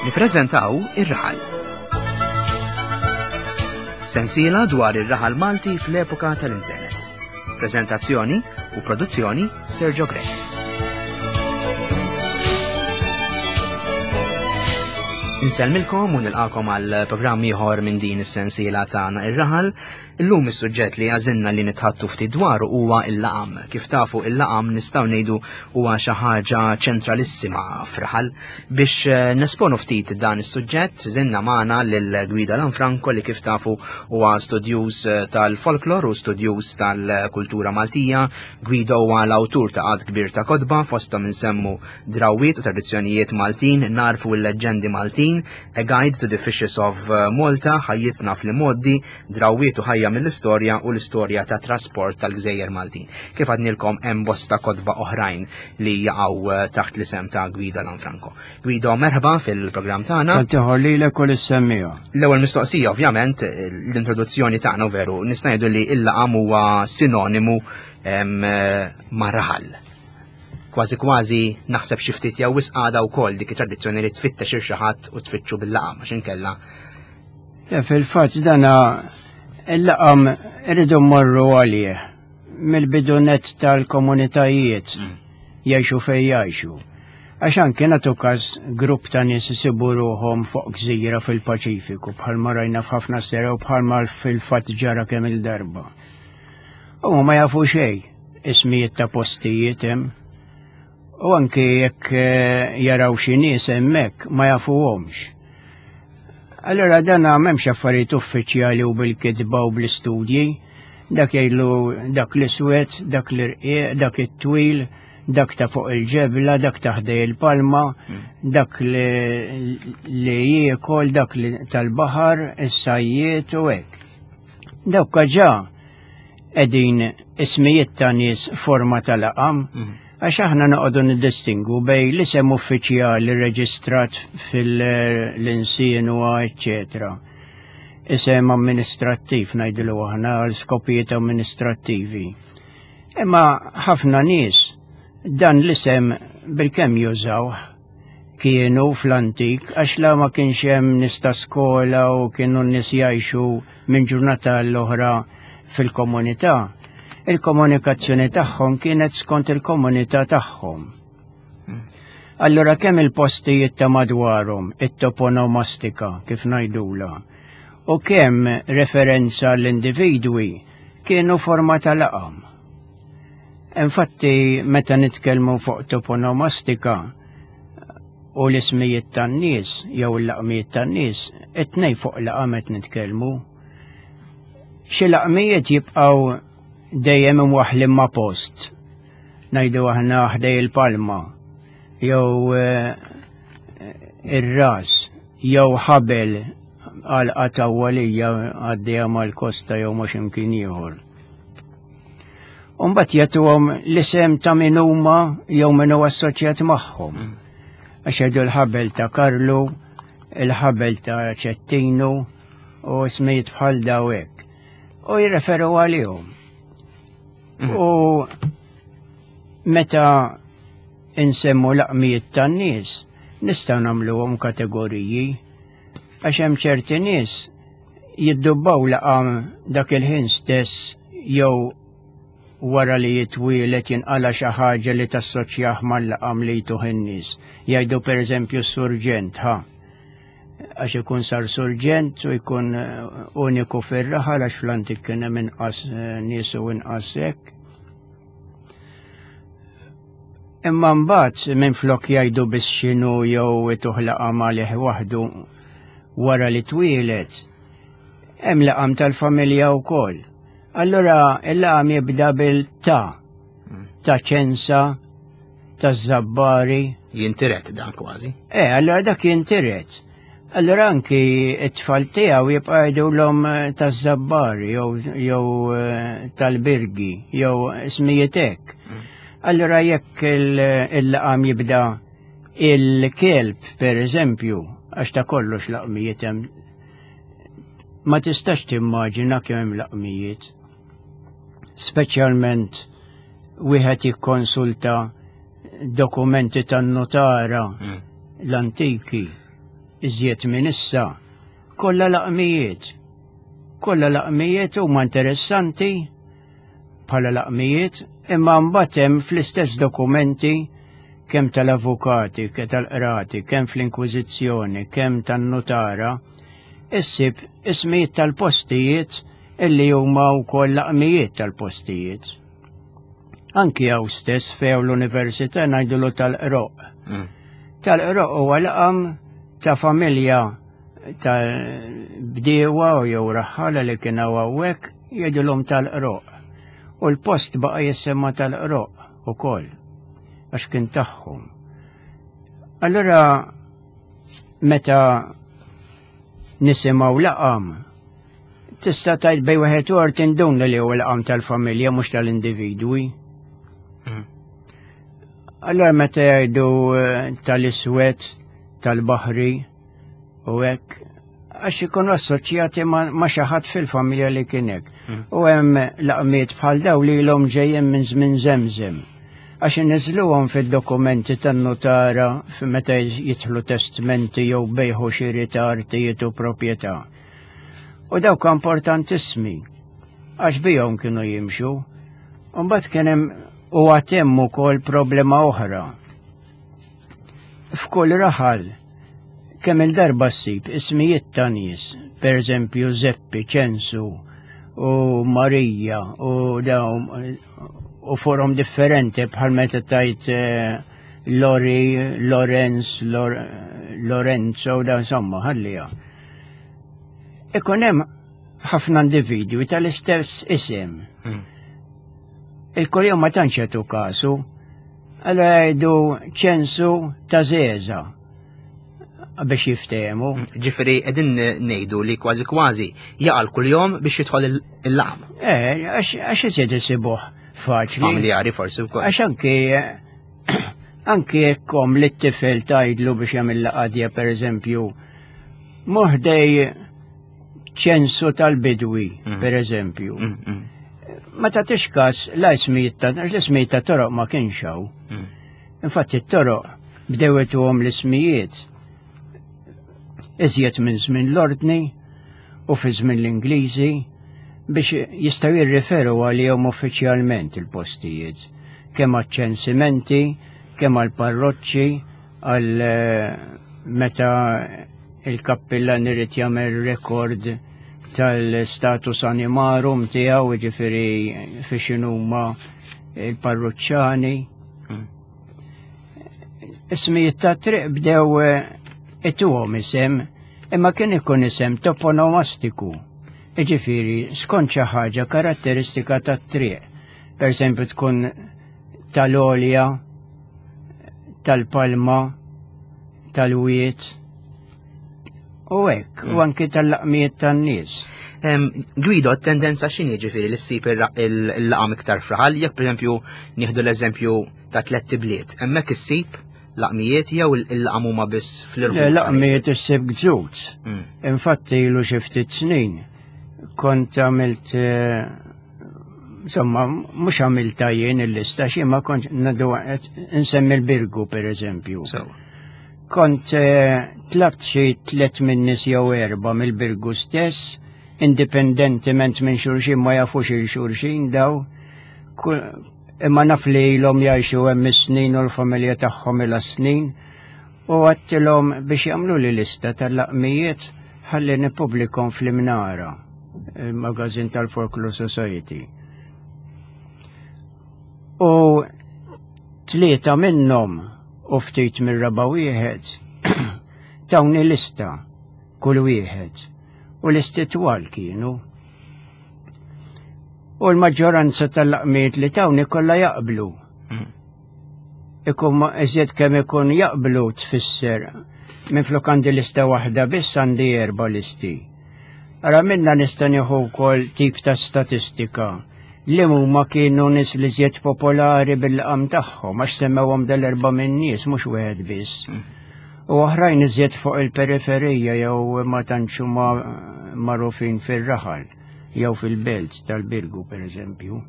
Nippreżentaw Ir-Raħal. Sensiela dwar ir-raħal Malti fl-epoka tal-internet. Preżentazzjoni u produzzjoni Sergio Grech. Insellmilkom u nilqakom għal programm ieħor minn din is-sensiela tagħna ir-raħal. Illum is-suġġett li għażilna li nitħattu ftit dwaru huwa il-laqam. Kif tafu il-laqam nistgħu ngħidu huwa xi ħaġa ċentralissima f'raħal. Biex eh, nesponu ftit dan is-suġġett, żinna magħna lil Gwida Lanfranco li kif tafu huwa studjuż eh, tal-folklor u studjuż tal-kultura Maltija. Guido huwa l-awtur ta' għadd kbir ta' kotba fosthom insemmu Drawwiet u Tradizzjonijiet Maltin, Narfu l-Leġġendi Maltin, A Guide to the Fishes of eh, Malta, Ħajjitna fl-Imgħoddi, Drawwiet u Ħajja mill-Istorja u l-Istorja ta' Trasport tal-Gżejjer Maltin. Kif għadnilkom hemm bosta kotba oħrajn li jaqgħu eh, taħt l-isem ta' Guido Lanfranco. Guido, merħba fil-programm tagħna. Tantiħor lilek u lis-semmiegħa. L-ewwel mistoqsija ovvjament l-introduzzjoni tagħna veru nista' ngħidu li l-laqam huwa sinonimu eh, ma' raħal. Kważi kważi naħseb xi ftit jew wisq għadha wkoll dik it-tradizzjoni li tfittex il xi ħadd u tfittxu bil-laqam għax inkella. Fil-fatt dana il-laqam irridu mmorru għalih mill-bidu nett tal-komunitajiet mm. jgħixu fejn jgħixu. Għax anke nagħtu każ grupp ta' nies isibu ruħhom fuq gżira fil-Paċifiku bħalma rajna f'ħafna sera u bħalma fil-fatt ġara kemm il-darba. U ma jafu xejn ismijiet ta' postijiet hemm. U anke jekk eh, jaraw xi nies hemmhekk ma jafuhomx. Allora dan m'hemmx affarijiet uffiċjali u bil-kitba u bl-istudji, dak jgħidlu dak l-iswed, dak l-irqiq, dak it-twil, dak ta' fuq il-ġebla, dak ta' ħdej il-palma, hmm. dak li jiekol, dak li tal-baħar, is-sajjiet u hekk. Dawk ġa qegħdin ismijiet ta' nies forma ta' laqam, mhm. għax aħna noqogħdu niddistingu bej l-isem uffiċjali reġistrat fil-insinwa, eċċetera. Isem amministrattiv ngħidlu aħna għal skopijiet amministrattivi. Imma ħafna nies dan l-isem bil-kemm jużawh kienu fl-antik għax la ma kienx hemm nies ta' skola u kienu n-nies jgħixu minn ġurnata l-oħra fil-komunità. Il-komunikazzjoni tagħhom kienet skont il-komunità tagħhom. Allura kemm il-postijiet ta' madwarhom, it-toponomastika kif ngħidula, u kemm referenza l-individwi kienu forma ta' laqam. Infatti, meta nitkellmu fuq toponomastika u l-ismijiet tan-nies jew il-laqmijiet tan-nies, it-tnej fuq laqam qed nitkellmu. Xi laqmijiet jibqgħu dejjem imwaħħlin ma' post. Ngħidu aħna ħdej il-palma jew eh, ir-ras jew ħabel għal qatawwalija għaddejja mal-kosta jew ma' x'imkien ieħor. Umbat jagħtuhom l-isem ta' min huma jew min huwa assoċjat magħhom. Mm. Għax jgħidu l-ħabel ta' Karlu, il-ħabel ta' Ċettinu u ismijiet bħal daw hekk. U jirreferu għalihom. Mm. U meta insemmu laqmijiet tan-nies, nistgħu nagħmluhom kategoriji għax hemm ċerti nies jiddubbaw laqam dak il-ħin stess jew wara li jitwielet jinqala xi ħaġa li tassoċjah mal-laqam li jtuh in-nies. Jgħidu pereżempju s-surġent, ha. Għax ikun sar surġent u jkun eh, uniku fir-raħal għax fl-antik kien hemm inqas eh, nies u inqas hekk. Imma mbagħad minflok jgħidu biss x'inhu jew ituh laqam għalih waħdu wara li twieled, hemm laqam tal-familja wkoll. Allura il-laqam jibda bil-ta, ta' ċensa, ta' zabbari. Jintiret dan kważi. Eh, allura dak jintiret. Allura anki it-tfal tiegħu jibqa' jgħidulhom eh, taż-żabbari jew eh, tal-birgi jew ismijiet hekk. Mm. Allura jekk il-laqam jibda il-kelb, per eżempju, għax ta' kollox laqmijiet hemm ma tistax timmaġina kemm hemm laqmijiet. Speċjalment wieħed jikkonsulta dokumenti tan-notara mm. l-antiki. iżjed minn issa, kollha laqmijiet. Kollha laqmijiet huma interessanti bħala laqmijiet, imma mbagħad hemm fl-istess dokumenti kemm tal-avukati, kemm tal-qrati, kemm fl-inkwiżizzjoni, kemm tan-nutara, issib ismijiet tal-postijiet illi huma wkoll laqmijiet tal-postijiet. Anki hawn stess fejn l-università ngħidulu tal-qroq. Tal-qroq huwa laqam ta' familja tal-bdiewa u jew raħħala li kien hawnhekk jgħidulhom tal-qroq. U l-post baqa' jissemma tal-qroq ukoll għax kien tagħhom. Allura meta nisimgħu laqam tista' tgħid bej wieħed u tinduna li huwa laqam tal-familja mhux tal-individwi. Allora meta jgħidu eh, tal-iswed, tal-baħri u hekk, għax ikunu assoċjati ma' xi ħadd fil-familja li kien hekk. U hemm laqmiet bħal daw li ilhom ġejjin minn żmien żemżem. Għax inniżluhom fid-dokumenti tan-nutara meta jidħlu testmenti jew bejħu xiri ta' artijiet u proprjetà. U dawk importantissimi għax bihom kienu jimxu. Mbagħad kien hemm u għad hemm ukoll problema oħra. F'kull raħal kemm il-darba ssib ismijiet ta' nies, per eżempju Zeppi, Ċensu u Marija u dawn u forom differenti bħal meta tajt eh, Lori, Lorenz, Lor, Lorenzo, da insomma, ħallija. Ikun hemm ħafna individwi tal-istess isem. Il-kuljum ma tantx jagħtu kasu, allura jgħidu ċensu ta' żeża biex jiftehmu. Ġifieri qegħdin ngħidu li kważi kważi jaqal kuljum biex jidħol il-laqam. Eh, għax iżjed isibuh faċli. Familjari forsi wkoll. Għax anki anki jekk omm li t-tifel tgħidlu biex jagħmel laqadja pereżempju moħdej ċensu tal-bidwi, mm. per eżempju. Mm, mm. Ma tagħtix każ la ismijiet ta' l-ismijiet ta' toroq ma kienx hawn. Infatti t-toroq bdew ituhom l-ismijiet iżjed minn żmien l-ordni u fi żmien l-Ingliżi biex jistgħu jirriferu għalihom uffiċjalment il-postijiet, kemm għaċ-ċensimenti, kemm għall-parroċċi, għal eh, meta il-kappillan irid jagħmel rekord tal-status animarum tiegħu, jiġifieri fi x'inhuma il-parruċċani. Ismijiet ta' triq bdew eh, ituhom isem, imma kien ikun isem toponomastiku. Jiġifieri skont xi ħaġa karatteristika tat-triq. Per eżempju tkun tal-olja, tal-palma, tal-wiet, u hekk, u mm. anki tal-laqmijiet tan-nies. Guido, tendenza x'inhi ġifieri li ssib il-laqam iktar fraħal, jekk pereżempju nieħdu l-eżempju ta' tlett ibliet, hemmhekk issib laqmijiet jew il-laqam huma biss fl-irħu? Laqmijiet issib gżut. Mm. Infatti ilu xi ftit snin kont għamilt eh, insomma, mhux għamilta jien il-lista, xi ma kont nadu nsemmi l-Birgu per eżempju. Kont eh, tlabt xi tlet minn nies jew erba' mill-Birgu stess, indipendentement minn xulxin ma jafux il xulxin daw, imma naf li ilhom jgħixu hemm is-snin u l-familja tagħhom ilha snin, u għattilhom biex jagħmlu li lista tal-laqmijiet ħalli nippubblikhom fl-Imnara, il-magazin tal-Folklore Society. U tlieta minnhom u ftit mir-raba' wieħed tawni lista kull wieħed u listi twal kienu. U l-maġġoranza tal-laqmiet li tawni kollha jaqblu. Mm. Ikun ma iżjed kemm ikun jaqblu tfisser minflok għandi lista waħda biss għandi erba' listi. Ara minna nista' nieħu wkoll tip ta' statistika li huma kienu nies li żjed popolari bil-laqam tagħhom għax semmewhom dal-erba' minn nies mhux wieħed biss. Mm. U oħrajn iżjed fuq il-periferija jew ma tantx huma magħrufin fir-raħal jew fil-belt tal-Birgu pereżempju.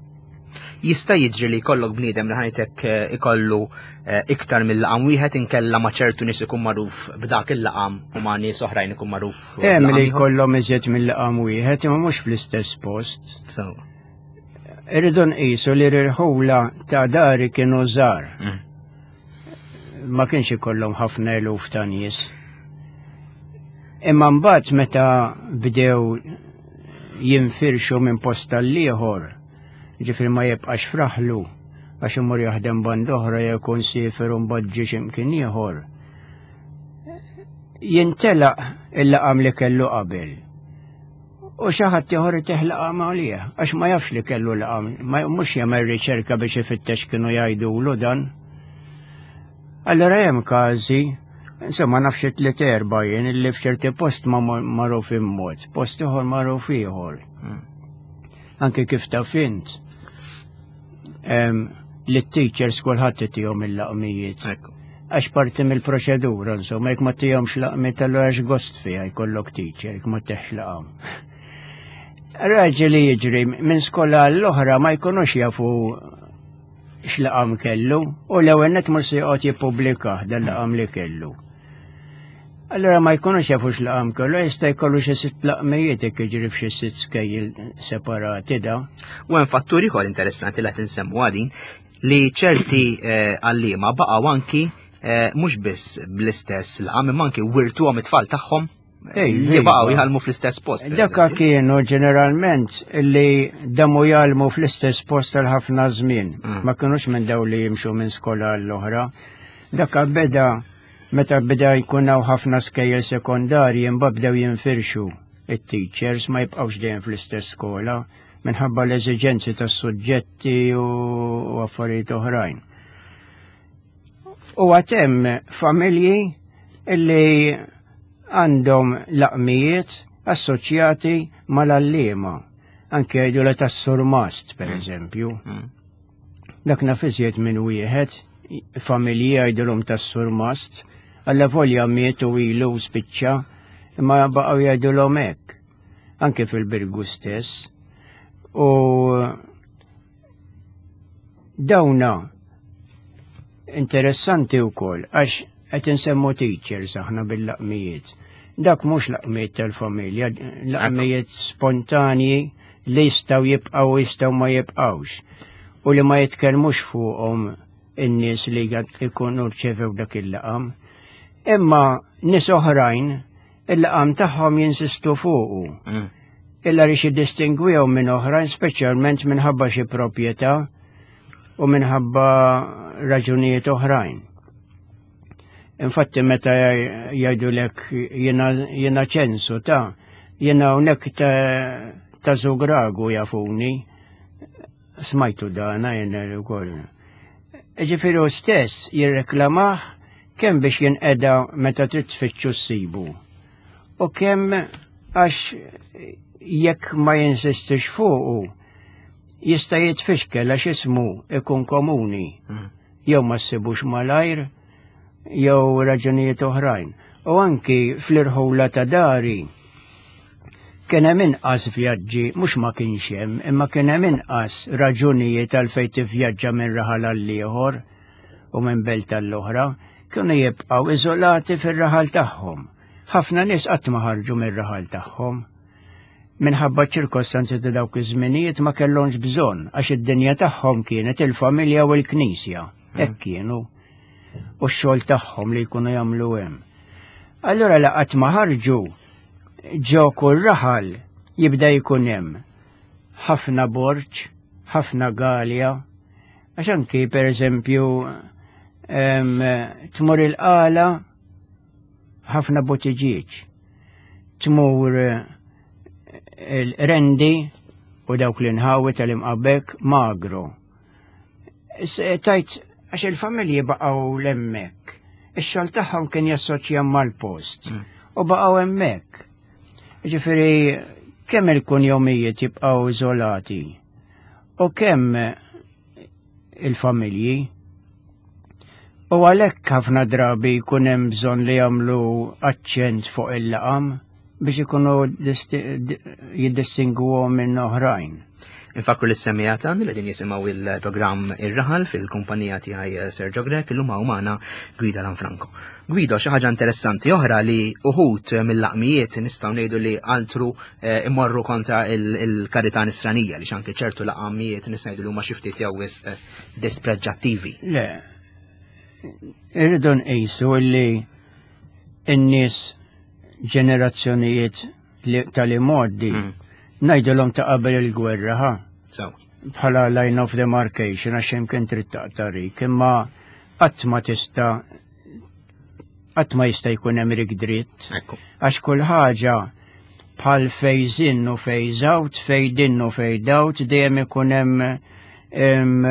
Jista' jiġri li jkollok bniedem li ħajtek eh, ikollu eh, iktar mill-laqam wieħed inkella ma' ċertu nies ikun magħruf b'dak il-laqam u ma' nies oħrajn ikun magħruf. Hemm li jkollhom iżjed mill-laqam wieħed imma mhux fl-istess post. Irridu nqisu li r-irħula ta' dari kienu żgħar. Mm. Ma kienx ikollhom ħafna eluf ta' nies. Imma mbagħad meta bdew jinfirxu minn post tal-ieħor, ġifieri ma jibqax fraħlu għax imur jaħdem band oħra jew jkun siefer u mbagħad ġie x'imkien ieħor. Jintelaq il-laqam li kellu qabel. U xi ħadd ieħor itih laqam għalih, għax ma jafx li kellu laqam, ma mhux jagħmel riċerka biex ifittex kienu jgħidulu dan. Allora hemm każi, insomma nafx tliet erba' jien li f'ċerti post ma magħruf mod, post ieħor magħruf ieħor. Hmm. Anke kif taf int, li t-teachers kulħadd itihom il-laqmijiet. Għax parti mill-proċedura, insomma, jekk ma tihomx laqmiet allura għax gost fiha jkollok teacher, jekk ma teħx laqam. Raġel li jiġri minn skola l-oħra ma jkunux jafu x'laqam kellu u l-ewwel net mhux se joqgħod jippubblikah dan laqam li kellu. Allora ma jkunux jafu x'laqam kellu, jista' jkollu xi sitt laqmijiet jekk jiġri f'xi sitt skejjel separati da. U hemm fattur ieħor interessanti li qed insemmu għadin li ċerti eh, għalliema baqgħu anki eh, mhux biss bl-istess laqam imma anki wirtuhom it-tfal tagħhom li baqgħu jgħallmu fl-istess post. Dakka kienu ġeneralment li damu jgħallmu fl-istess post għal ħafna żmien. Mm. Ma kienux minn daw li jimxu minn skola l-oħra. Dakka beda meta beda jkun hawn ħafna skejjel sekondarji imbagħad bdew jinfirxu it-teachers ma jibqgħux dejjem fl-istess skola minħabba l-eżiġenzi tas-suġġetti u affarijiet oħrajn. U għatem familji illi għandhom laqmijiet assoċjati mal-allima. Anke jgħidu la tas-surmast, per mm. eżempju. Mm. Dak naf iżjed minn wieħed, familji jgħidulhom tas-surmast, alla volja miet u ilu spiċċa, imma baqgħu jgħidulhom hekk. Anke fil-Birgu stess. U dawna interessanti wkoll għax qed insemmu teachers aħna bil-laqmijiet. Dak mhux laqmijiet tal-familja, laqmijiet spontanji li jistgħu jibqgħu jistgħu ma jibqgħux u li ma jitkellmux fuqhom in-nies li jkunu rċevew dak il-laqam. Imma nies oħrajn il-laqam tagħhom jinsistu fuqu. Mm. Illa li xi distingwihom minn oħrajn speċjalment minħabba xi proprjetà u minħabba raġunijiet oħrajn. Infatti meta jgħidulek jiena ċensu ta' jiena hawnhekk ta' ta' Zugragu jafuni, smajtu dana jiena wkoll. Ġifieri hu stess jirreklamah kemm biex jinqeda meta trid tfittxu ssibu u kemm għax jekk ma jinsistix fuqu jista' jitfixkel għax ismu ikun komuni hmm. jew ma ssibux malajr jew raġunijiet oħrajn. U anki fl-irħula ta' dari kien hemm inqas vjaġġi, mhux ma kienx hemm, imma kien hemm inqas raġunijiet għalfejn tivvjaġġa minn raħal għal ieħor u minn belt għall-oħra, kienu jibqgħu iżolati fir-raħal tagħhom. Ħafna nies qatt ma ħarġu mir-raħal tagħhom. Minħabba ċirkostanzi ta' dawk iż-żminijiet ma kellhomx bżonn għax id-dinja tagħhom kienet il-familja u l-knisja. Hmm. Hekk kienu. U x-xogħol tagħhom li jkunu jagħmlu hemm. Allura laqat ma ħarġu ġo kull raħal jibda jkun hemm ħafna borġ, ħafna galja, għax anki per eżempju tmur il-qala ħafna botiġieġ. Tmur eh, il-rendi u dawk l-inħawi tal-imqabek magro. Eh, tajt, għax il-familji baqgħu l-emmek. Ix-xogħol tagħhom kien jassoċja mal-post mm. u baqgħu hemmhekk. Ġifieri kemm il-kunjomijiet jibqgħu iżolati u kemm il-familji. U għalhekk ħafna drabi jkun hemm bżonn li jagħmlu aċċent fuq il-laqam biex ikunu jiddistingwuhom minn oħrajn. Infakru lis-semmiegħa tagħna li qegħdin jisimgħu il-programm Ir-Raħal fil-kumpanija tiegħi eh, Sergio Grech illum hawn magħna Guido Lanfranco. Guido, xi ħaġa interessanti oħra li uħud mill-laqmijiet nistgħu ngħidu li altru eh, imorru kontra il-karità nisranija li xanki ċertu laqamijiet nistgħu ngħidu li huma xi ftit jew wisq eh, dispreġġattivi. Le, irridu nqisu li n-nies ġenerazzjonijiet tal-imgħoddi mm. ngħidilhom ta' qabel il-gwerra ħa. Bħala line of demarcation għax imkien trid taqtarik, imma qatt ma tista' qatt ma jista' jkun hemm rik dritt. Għax kull ħaġa bħal phase in u phase out, fade in u fade out, dejjem ikun hemm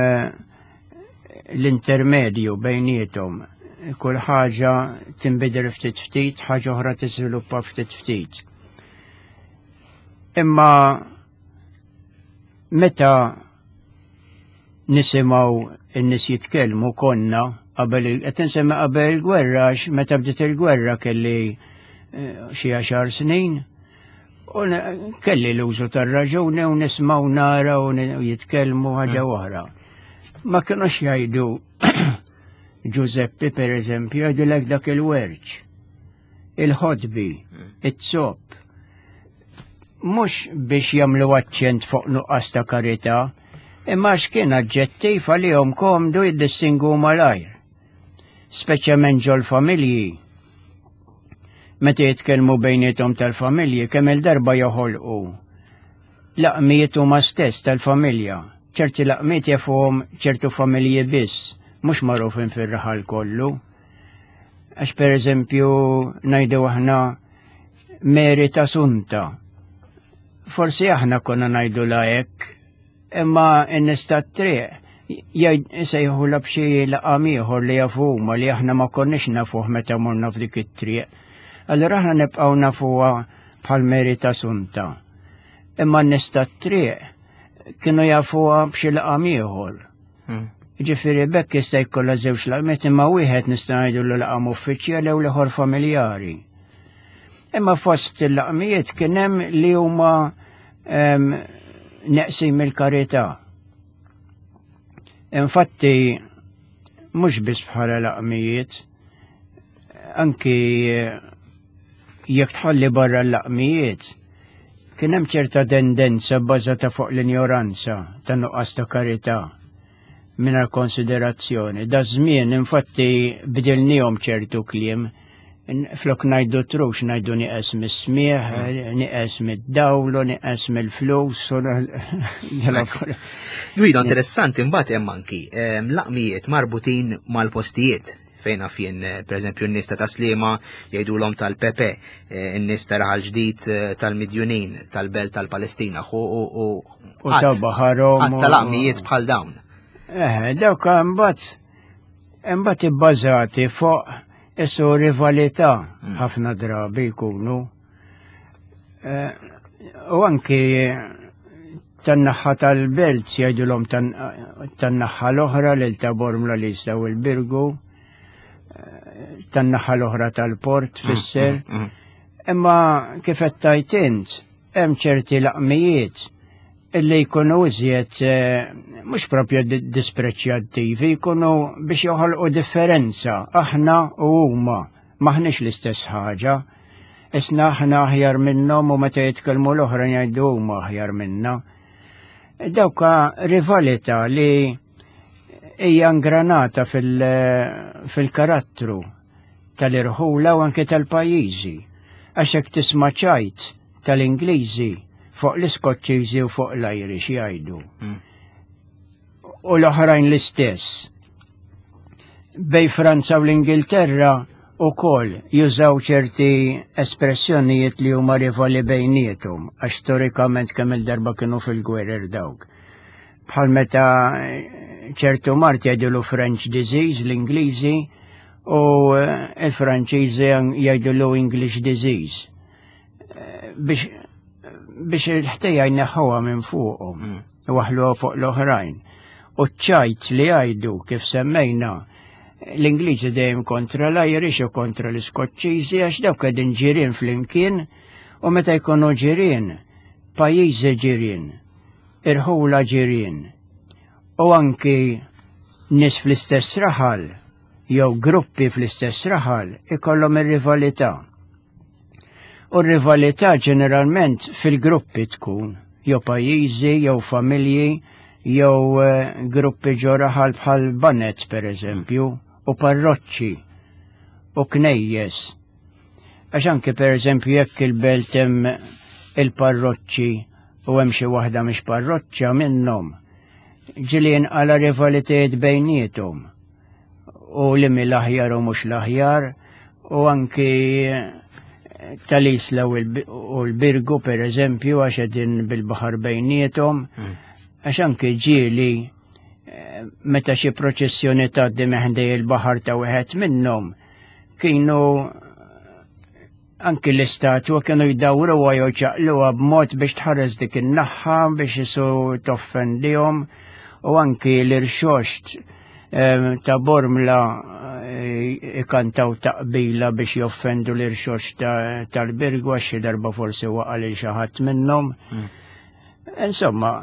l-intermedju bejniethom. Kull ħaġa tinbidel ftit ftit, ħaġa oħra tiżviluppa ftit ftit. Imma meta nisimgħu n-nies jitkellmu konna qabel qed insemmi qabel il-gwerra għax meta bdiet il-gwerra kelli eh, xi għaxar snin u kelli l-użu tar-raġuni u nisma' u nara u jitkellmu ħaġa mm. oħra. Ma kienux jgħidu Giuseppe per eżempju jgħidulek dak il-werċ, il-ħodbi, mm. it-zopp. Mhux biex jagħmlu aċċent fuq nuqqas ta' karità, imma x'kien aġġettiv għalihom komdu jiddistingu malajr. Speċjalment ġol-familji. Meta jitkellmu bejniethom tal-familji kemm il-darba joħolqu laqmijiet huma stess tal-familja. ċerti laqmiet jafuhom ċertu familji biss, mhux magħrufin fir-raħal kollu. Għax per eżempju ngħidu aħna Meri ta' Sunta. Forsi aħna konna ngħidu la hekk, imma n-nies tat-triq jgħid la b'xi laqam ieħor li jafu huma li aħna ma konniex nafuh meta morna f'dik it-triq. Allura aħna nibqgħu nafuha bħal Meri ta' Sunta. Imma n-nies tat-triq kienu jafuha b'xi laqam ieħor. Hmm. Ġifieri bekk jista' jkollha żewġ laqmiet imma wieħed nista' ngħidu l laqam uffiċjali u l-ieħor familjari. Imma fost il-laqmijiet kien hemm li huma ehm, neqsin mill-karità. Infatti mhux biss bħala laqmijiet, anki jekk tħalli barra l-laqmijiet, kien hemm ċerta tendenza bbażata fuq l-injoranza ta' nuqqas ta' karità mingħajr konsiderazzjoni. Da żmien infatti bdilnihom ċertu kliem flok ngħidu trux ngħidu nieqes mis-smieħ, nieqes mid-dawl, u nieqes mill-flus. Guido, interessanti mbagħad hemm anki ehm, laqmijiet marbutin mal-postijiet fejn naf jien eh, pereżempju n-nies ta' Taslima jgħidulhom tal-Pepe, eh, n-nies ta' Raħal Ġdid eh, tal-Midjunin, tal-Belt tal-Palestina u u ta' baħarhom. Għadd tal-aqmijiet bħal dawn. Eh, dawk imbagħad imbagħad ibbażati fuq isu rivalità mm. ħafna drabi jkunu. U anki tan-naħa tal-belt jgħidulhom tan-naħa l-oħra lil ta' Bormla li jistgħu il-Birgu, eh, tan-naħa l-oħra tal-port mm, fisser. Mm, mm. Imma kif qed tajt int, hemm ċerti laqmijiet illi jkunu iżjed eh, mhux propju dispreċjattivi, jkunu biex joħolqu differenza aħna u huma maħniex l-istess ħaġa. Isna aħna aħjar minnhom u meta jitkellmu l-oħra jgħidu huma aħjar minna. Dawka rivalità li hija ingranata fil-karattru tal-irħula u anke tal-pajjiżi. Għax hekk tisma' ċajt tal-Ingliżi fuq l-Iskoċċiżi u fuq l-Irish jgħidu. Mm. U l-oħrajn l-istess. Bej Franza u l-Ingilterra u kol jużaw ċerti espressjonijiet li huma rivali bejnietum, għax storikament kemm il-darba kienu fil-gwerer dawk. Bħal meta ċertu mart jgħidulu French disease l-Ingliżi u il-Franċiżi jgħidulu English disease. Biex biex il-ħtejja jneħħuha minn fuqhom. Mm. Waħluha fuq l-oħrajn. U ċ-ċajt li jgħidu kif semmejna l-Ingliżi dejjem kontra l-Irish u kontra l-Iskoċċiżi għax dawk qegħdin ġirien flimkien u meta jkunu ġirien, pajjiżi ġirien. irħula ġirien u anki nies fl-istess raħal jew gruppi fl-istess raħal ikollhom ir-rivalità. U r-rivalità ġeneralment fil-gruppi tkun, jew pajjiżi, jew familji, jew eh, gruppi ġo raħal bħal banet per eżempju, u parroċċi, u knejjes. Għax anke per eżempju jekk il-belt hemm il-parroċċi u hemm xi waħda mhix parroċċa minnhom, ġieli jinqala rivalitajiet bejniethom u li mill-aħjar u mhux l-aħjar u anki tal-Isla u l-Birgu per eżempju għax qegħdin bil-baħar bejniethom hmm. għax anki ġieli eh, meta xi proċessjoni tgħaddi meħdej il-baħar ta' wieħed minnhom kienu anki l-istatwa kienu jdawruha jew ċaqluha b'mod biex tħares dik in-naħħa biex isu toffendihom u anki l-irxoxt ehm, ta' Bormla eh, ikantaw taqbila biex joffendu l-irxoxt tal-Birgu għax xi darba forsi waqa' lil xi ħadd minnhom. Hmm. Insomma,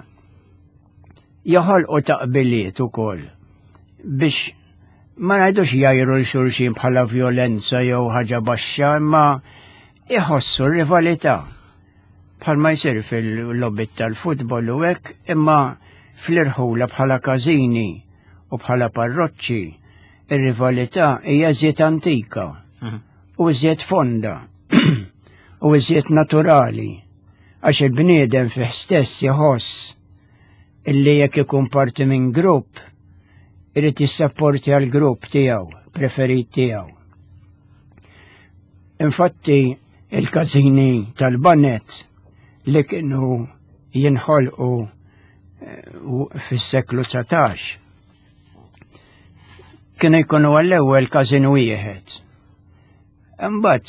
joħolqu taqbiliet ukoll biex ma ngħidux jgħajru l xulxin bħala vjolenza jew ħaġa baxxa, imma iħossu r-rivalità. Bħalma jsir fil-lobit tal-futbol u hekk, imma fl-irħula bħala każini u bħala parroċċi, ir-rivalità hija żied antika mhm. u żied fonda u żied naturali għax il-bniedem fih stess jħoss illi jekk ikun parti minn grupp irid jissapporti għal grupp tiegħu, preferit tiegħu. Infatti il-każini tal-banet li kienu jinħolqu eh, fis-seklu 19 kienu jkunu għall-ewwel każin wieħed. Imbagħad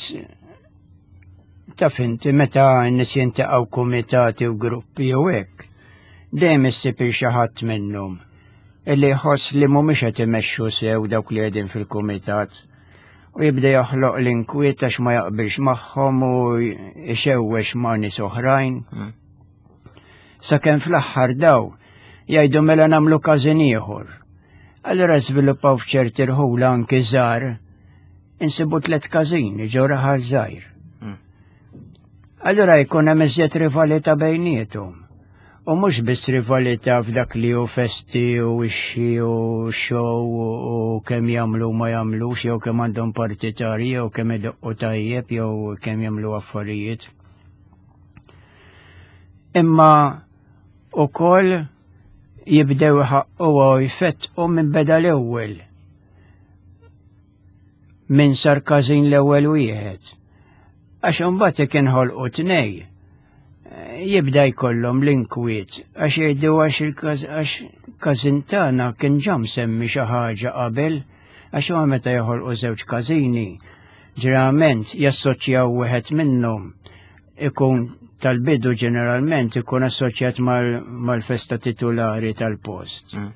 taf inti meta n-nies jintaqgħu kumitati u gruppi jew hekk, dejjem issib il xi ħadd minnhom illi jħoss li mhumiex qed imexxu sew dawk li qegħdin fil-kumitat u jibda joħloq l-inkwiet għax ma jaqbilx magħhom u jxewwex ma' nies oħrajn. Hmm. Sakemm fl-aħħar daw jgħidu mela nagħmlu każin ieħor. Allura żviluppaw f'ċerti rħula anki żgħar insibu tlet każini ġo raħal żgħir. Hmm. Allura jkun hemm iżjed rivalità bejniethom. U mhux biss rivalità f'dak li hu festi u ixxi u show u kemm jagħmlu ma jagħmlux jew kemm għandhom partitarji jew kemm idoqqu tajjeb jew kemm jagħmlu affarijiet. Imma ukoll jibdew iħaqqu u jfettqu minn beda l-ewwel Min sar każin l-ewwel wieħed. Għax imbagħad jekk inħolqu tnej, jibda jkollhom l-inkwiet għax jgħidu għax il-għax każin tagħna kien ġa msemmi xi ħaġa qabel għax huwa meta joħolqu żewġ każini ġeneralment jassoċjaw wieħed minnhom ikun tal-bidu ġeneralment ikun assoċjat mal-festa titulari tal-post. Mm.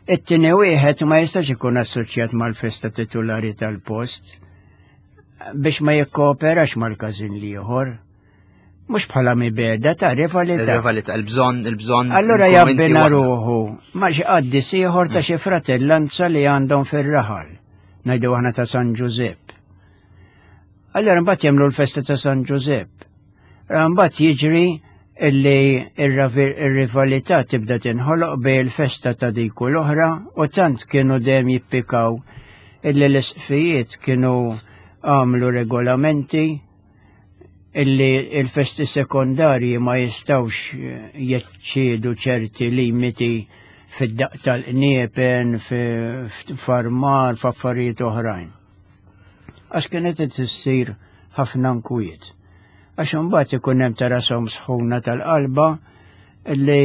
It-tieni wieħed ma jistax ikun assoċjat mal-festa titulari tal-post biex ma jikkooperax mal-każin l-ieħor. Mhux bħala mibeda ta' rivalità. Rivalità, il-bżonn, il-bżonn. Allura jabbina ruħu ma xi qaddis ieħor ta' xi fratellanza li għandhom fir-raħal. Ngħidu aħna ta' San Ġużepp. Allura mbagħad jagħmlu l-festa ta' San Ġużepp. Mbagħad jiġri illi ir-rivalità tibda tinħoloq bej il-festa ta' dik u l-oħra u tant kienu dejjem jippikaw illi l-isqfijiet kienu għamlu regolamenti illi il-festi sekondarji ma jistawx jeċċiedu ċerti limiti fid-daq tal-qniepen, f'armar, f'affarijiet oħrajn. Għax kienet qed issir ħafna nkwiet. Għax imbagħad ikun hemm ta' rashom sħuna tal-qalba li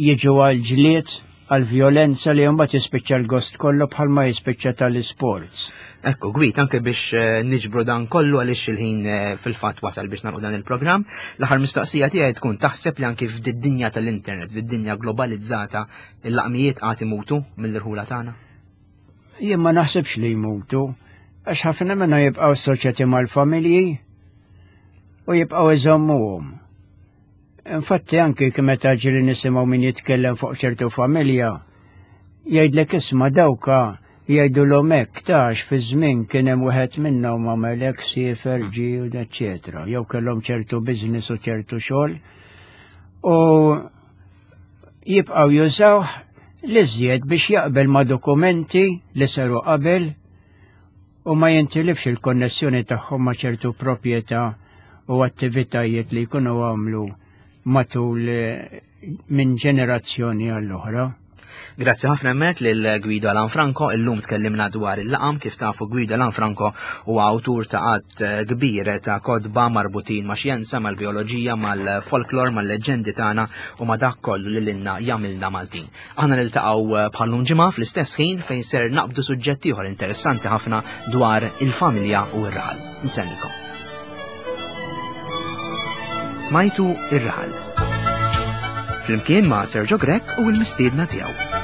jiġu għal ġlied għal vjolenza li mbagħad jispiċċa l-gost kollu bħalma jispiċċa tal-isports. Ekku, gwit, anke biex eh, niġbru dan kollu għaliex il-ħin eh, fil-fatt wasal biex nagħlqu dan il-programm. L-aħħar mistoqsija tiegħi tkun taħseb li anke fid-dinja tal-internet, fid-dinja globalizzata, il-laqmijiet għad imutu mill-irħula tagħna? Jien ma naħsibx li jmutu, għax ħafna minnhom jibqgħu assoċjati mal-familji u jibqgħu iżommuhom. Infatti anki meta ġieli nisimgħu min jitkellem fuq ċertu familja, jgħidlek isma' dawka jgħidulhom hekk tax fi żmien kien hemm wieħed minnhom għamel hekk siefer ġie u eċċetera, jew kellhom ċertu business u ċertu xogħol. U jibqgħu jużawh l-iżjed biex jaqbel ma' dokumenti li saru qabel u ma jintilifx il-konnessjoni tagħhom ma' ċertu proprjetà u attivitajiet li jkunu għamlu matul eh, minn ġenerazzjoni għall-oħra. Grazzi ħafna hemmhekk lil Guido Lanfranco, illum tkellimna dwar il-laqam kif tafu Guido Lanfranco huwa awtur ta' għadd eh, kbir ta' kotba marbutin ma' xjenza, mal-bioloġija, mal-folklor, mal-leġġendi tagħna u ma' dak kollu li lilna jagħmilna Maltin. Aħna niltaqgħu eh, bħallum ġimgħa fl-istess ħin fejn ser naqbdu suġġett ieħor interessanti ħafna dwar il-familja u r-raħal. Nsellilkom. Smajtu ir-raħal. Flimkien ma' Sergio Grech u l-mistiedna tiegħu.